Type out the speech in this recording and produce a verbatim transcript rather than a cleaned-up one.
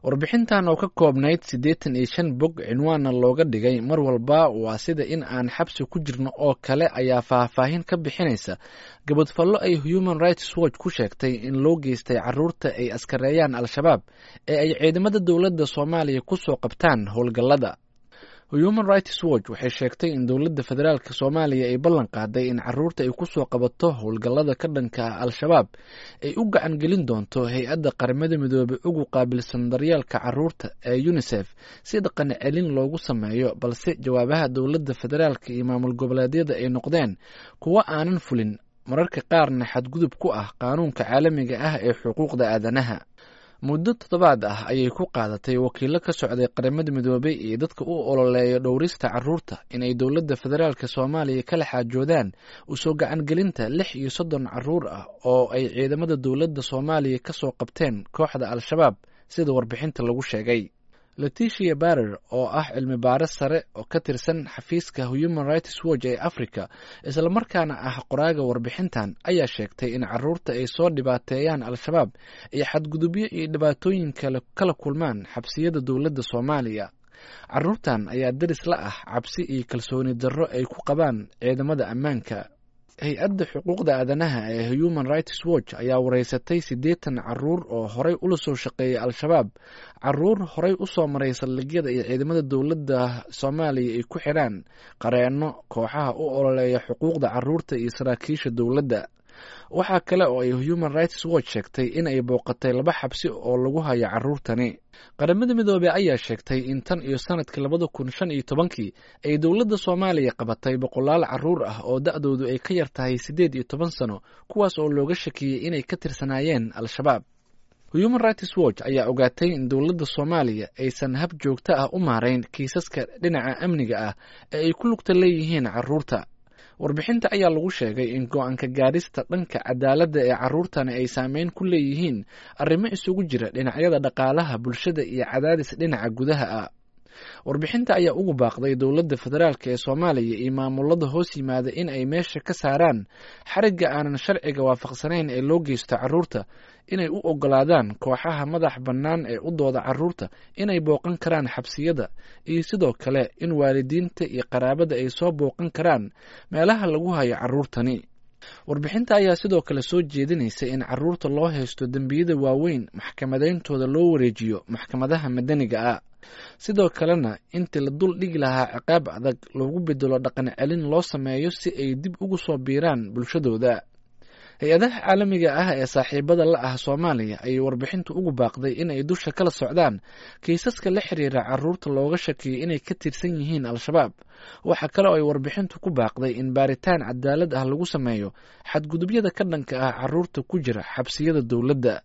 Warbixintan oo ka koobnayd siddeetan iyo shan bog cinwaanna looga dhigay "Mar walba waa sida in aan xabsi ku jirno oo kale" ayaa faahfaahin ka bixinaysa gabadhfallo ay Human Rights Watch ku sheegtay in loo geystay carruurta ay askareeyaan Al-shabaab ee ay ciidamada dowladda Soomaaliya ku soo qabtaan howlgallada. Human Rights Watch waxay sheegtay in dowladda federaalk Soomaaliya ay ballan qaaday in carruurta ay ku soo qabato howlgallada ka dhanka ah Al-shabaab ay u gacan gelin doonto hay-adda Qaramada Midoobay ugu qaabilsan daryeelka carruurta ee UNICEF si dhaqan celin loogu sameeyo, balse jawaabaha dowladda federaalk iyo maamul goboleedyada ay noqdeen kuwo aanan fulin, mararka qaarna xadgudub ku ah qaanuunka caalamiga ah ee xuquuqda aadanaha. Muddo toddobaad ah ayay ku qaadatay wakiilo ka socday Qaramada Midoobay iyo dadka u ololeeya dhowrista carruurta in ay dowladda federaalk Soomaaliya kala xaajoodaan u soo gacan gelinta lix iyo soddon carruur ah oo ay ciidamada dowladda Soomaaliya ka soo qabteen kooxda Al-shabaab, sida warbixinta lagu sheegay. Letitia Barer oo ah cilmi baaris sare oo ka tirsan xafiiska Human Rights Watch ee Afrika, islamarkaana ah qoraaga warbixintan, ayaa sheegtay in carruurta ay soo dhibaateeyaan Al-shabaab ay xadgudubyo iyo dhibaatooyin kale kala kulmaan xabsiyada dowladda Soomaaliya. Carruurtan ayaa daris la ah cabsi iyo kalsooni darro ay ku qabaan ciidamada ammaanka. Hay-adda xuquuqda aadanaha ee Human Rights Watch ayaa wareysatay siddeetan carruur oo horay ula soo shaqeeyay Al-shabaab, carruur horay u soo maray saldhigyada iyo ciidamada dowladda Soomaaliya ay ku xidhaan, qareenno, kooxaha u ololeeya xuquuqda carruurta iyo saraakiisha dowladda. Waxaa kale oo ay Human Rights Watch sheegtay in ay booqatay laba xabsi oo lagu hayo carruurtani. Qaramada Midoobey ayaa sheegtay in tan iyo sanadkii labada kun shan iyo tobankii ay dowladda Soomaaliya qabatay boqolaal carruur ah oo da-doodu ay ka yar tahay siddeed iyo toban sano, kuwaas oo looga shakiyey inay ka tirsanaayeen Al-shabaab. Human Rights Watch ayaa ogaatay in dowladda Soomaaliya aysan hab joogto ah u maarayn kiisaska dhinaca amniga ah ee ay ku lugta leeyihiin carruurta. Warbixinta ayaa lagu sheegay in go-aanka gaadhista dhanka cadaaladda ee carruurtani ay saameyn ku leeyihiin arrimo isugu jira dhinacyada dhaqaalaha, bulshada iyo cadaadis dhinaca gudaha ah. Warbixinta ayaa ugu baaqday dowladda federaalk ee Soomaaliya iyo maamulada hoos yimaada in ay meesha ka saaraan xarigga aanan sharciga waafaqsanayn ee loo geysto carruurta, inay u oggolaadaan kooxaha madax bannaan ee u dooda carruurta inay booqan karaan xabsiyada, iyo sidoo kale in waalidiinta iyo qaraabada ay soo booqan karaan meelaha lagu hayo carruurtani. Warbixinta ayaa sidoo kale soo jeedinaysa in carruurta loo haysto dembiyada waaweyn maxkamadeyntooda loo wareejiyo maxkamadaha madaniga ah, sidoo kalena intii la dul dhigi lahaa ciqaab adag loogu bedelo dhaqan celin loo sameeyo si ay dib ugu soo biiraan bulshadooda. Hay-adaha caalamiga ah ee saaxiibada la ah Soomaaliya ayay warbixintu ugu baaqday in ay dusha kala socdaan kiisaska la xiriira carruurta looga shakiyay inay ka tirsan yihiin Al-shabaab. Waxaa kale oo ay warbixintu ku baaqday in baaritaan cadaalad ah lagu sameeyo xadgudubyada ka dhanka ah carruurta ku jira xabsiyada dowladda.